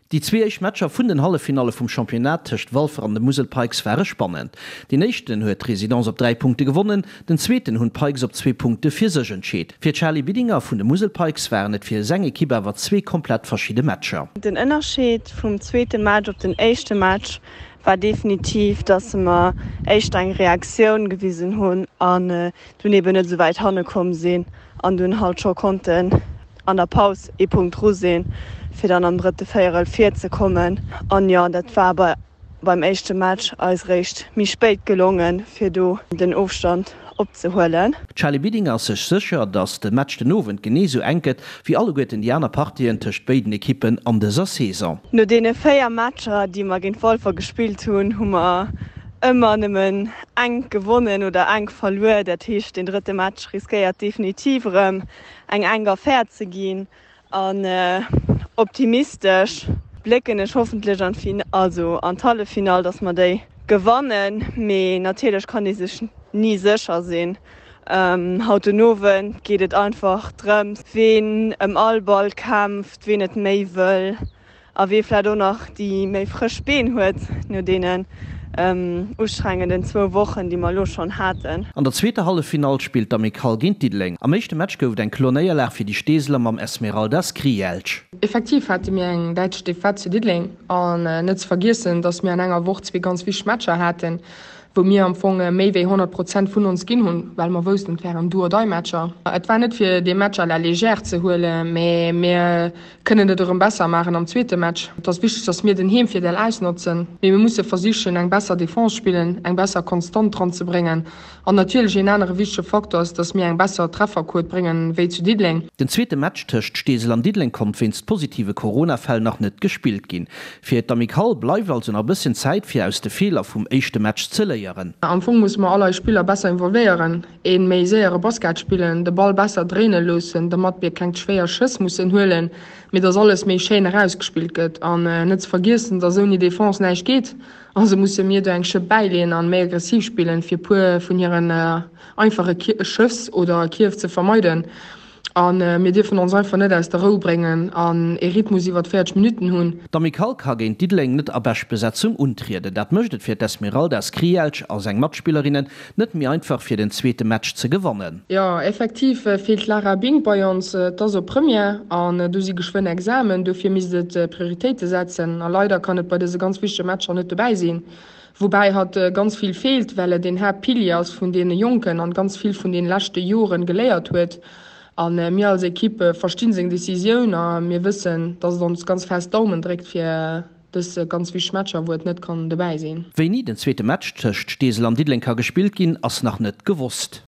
Déi zwee éischt Matcher vun den Halleffinalle vum Championnat tëscht Walfer an de Musel Pikes ware spannend. Deen éischten huet d'Residence op 3 Punkte gewonnen, den zweeten hunn d'Pikes op zwee Punkte fir sech entscheet. Fir d'Charly Bidinger vun de Musel Pikes waren et fir seng Ekipp awer zwee komplett verschidde Matcher. Den Ënnerscheed vum zweete Match op den éischte Match war definitiv, dass mer éischter eng Reaktioun gewisen hunn an dunn eben net esou wäit hanne komm sinn an dunn halt scho konnten an der Paus ee Punkt dru sinn, fir dann am drëtte Véierel virzekommen. An jo, dat war bei beim éischte Match eis eréischt méi spéit gelongen, fir do den Ofstand opzehuelen. D'Charly Bidinger ass sech sécher, datt de Match den Owend genee esou enk gëtt, wéi alleguerten déi aner Partien tëscht béiden Ekippen an dëser Saison. No deene 4 Matcher, déi mer géint Walfer gespillt hunn, hu mer ëmmer nëmmen enk gewonnen oder enk verluer. Dat heescht, deen drëtte Match riskéiert definitiv erëm eng enk Affär ze ginn. An optimistesch blécken ech hoffentlech an d'Fin-, also an d'Halleffinall, dass mer déi gewannen. Mee natierlech kann ee sech ni sécher sinn. Haut den Owend geet et einfach drëms, ween ëm all Ball kämpft, ween et méi wëll a wee vläit och nach déi méi frësch Been huet no deenen ustrengenden zwou Wochen, déi mer elo schonn haten. An der zweeter Halleffinall spillt d'Amicale géint Diddeleng. Am éischte Match gouf et eng kloer Néierlag fir déi Steeseler mam Esmeralda Skrijelj. Effektiv hate mir eng däitlech Defaite zu Diddeleng an net ze vergiessen, dass mir an enger Woch zwee ganz wichteg Matcher haten, wou mir am Fong méi wéi 100 Prozent vun ons ginn hunn, well mer woussten, et wären Do-or-Die-Matcher. Et war net fir dee Match à la légère ze huelen, mä mir kënnen et erëm besser maachen am zweete Match. Et ass wichteg, dass mir den Heemvirdeel ausnotzen, mee mir musse versichen, eng besser Defense spillen, eng besser Konstant dran ze bréngen. An natierlech een anere wichtege Faktor ass, dass mir eng besser Trefferquot bréngen wéi zu Diddeleng. Den zweete Match tëscht Steesel an Diddeleng konnt wéinst positive Corona-Fäll nach net gespillt ginn. Fir d'Amicale bleift also nach e bësschen Zäit fir aus de Feeler vum éischte Match ze léieren. Am Fong musse mer all eis Spiller besser involvéieren, ee méi séiere Basket spillen, de Ball besser dréine loossen, domat mir keng schwéier Schëss mussen huelen, mee dass alles méi schéin erausgespillt gëtt. An net ze vergiessen, dass ouni Defense näischt geet, also musse mir do eng Schëpp bäileeën an méi aggressiv spillen, fir puer vun hiren einfache Schëss oder Kierf ze vermeiden. A mir dierfen ons einfach net aus der Rou bréngen an ee Rhythmus iwwert 40 Minutten hunn. D'Amicale ka géint Diddeleng net a Beschtbesetzung untrieden. Dat mécht et fir d'Esmeralda Skrijelj a seng Matspillerinnen net méi einfach fir den zweete Match ze gewannen. Jo, effektiv feelt d'Lara Bink bei ons. Et ass op Première an do si geschwënn Examen, dofir misst et Prioritéite setzen a leider kann et bei dëse ganz wichtege Matcher net dobäi sinn. Woubäi hatt ganz vill feelt, well et een Haaptpilier ass vun deene Jonken an ganz vill vun den leschte Joren geléiert huet. A mir als Equipe verstinn seng Decisioun a mir wëssen, dass et ons ganz fest d'Daumen dréckt fir dës ganz wichteg Matcher, wou et net kann dobäi sinn. Wéini den zweete Match tëscht Steesel an Diddeleng ka gespillt ginn, ass nach net gewosst.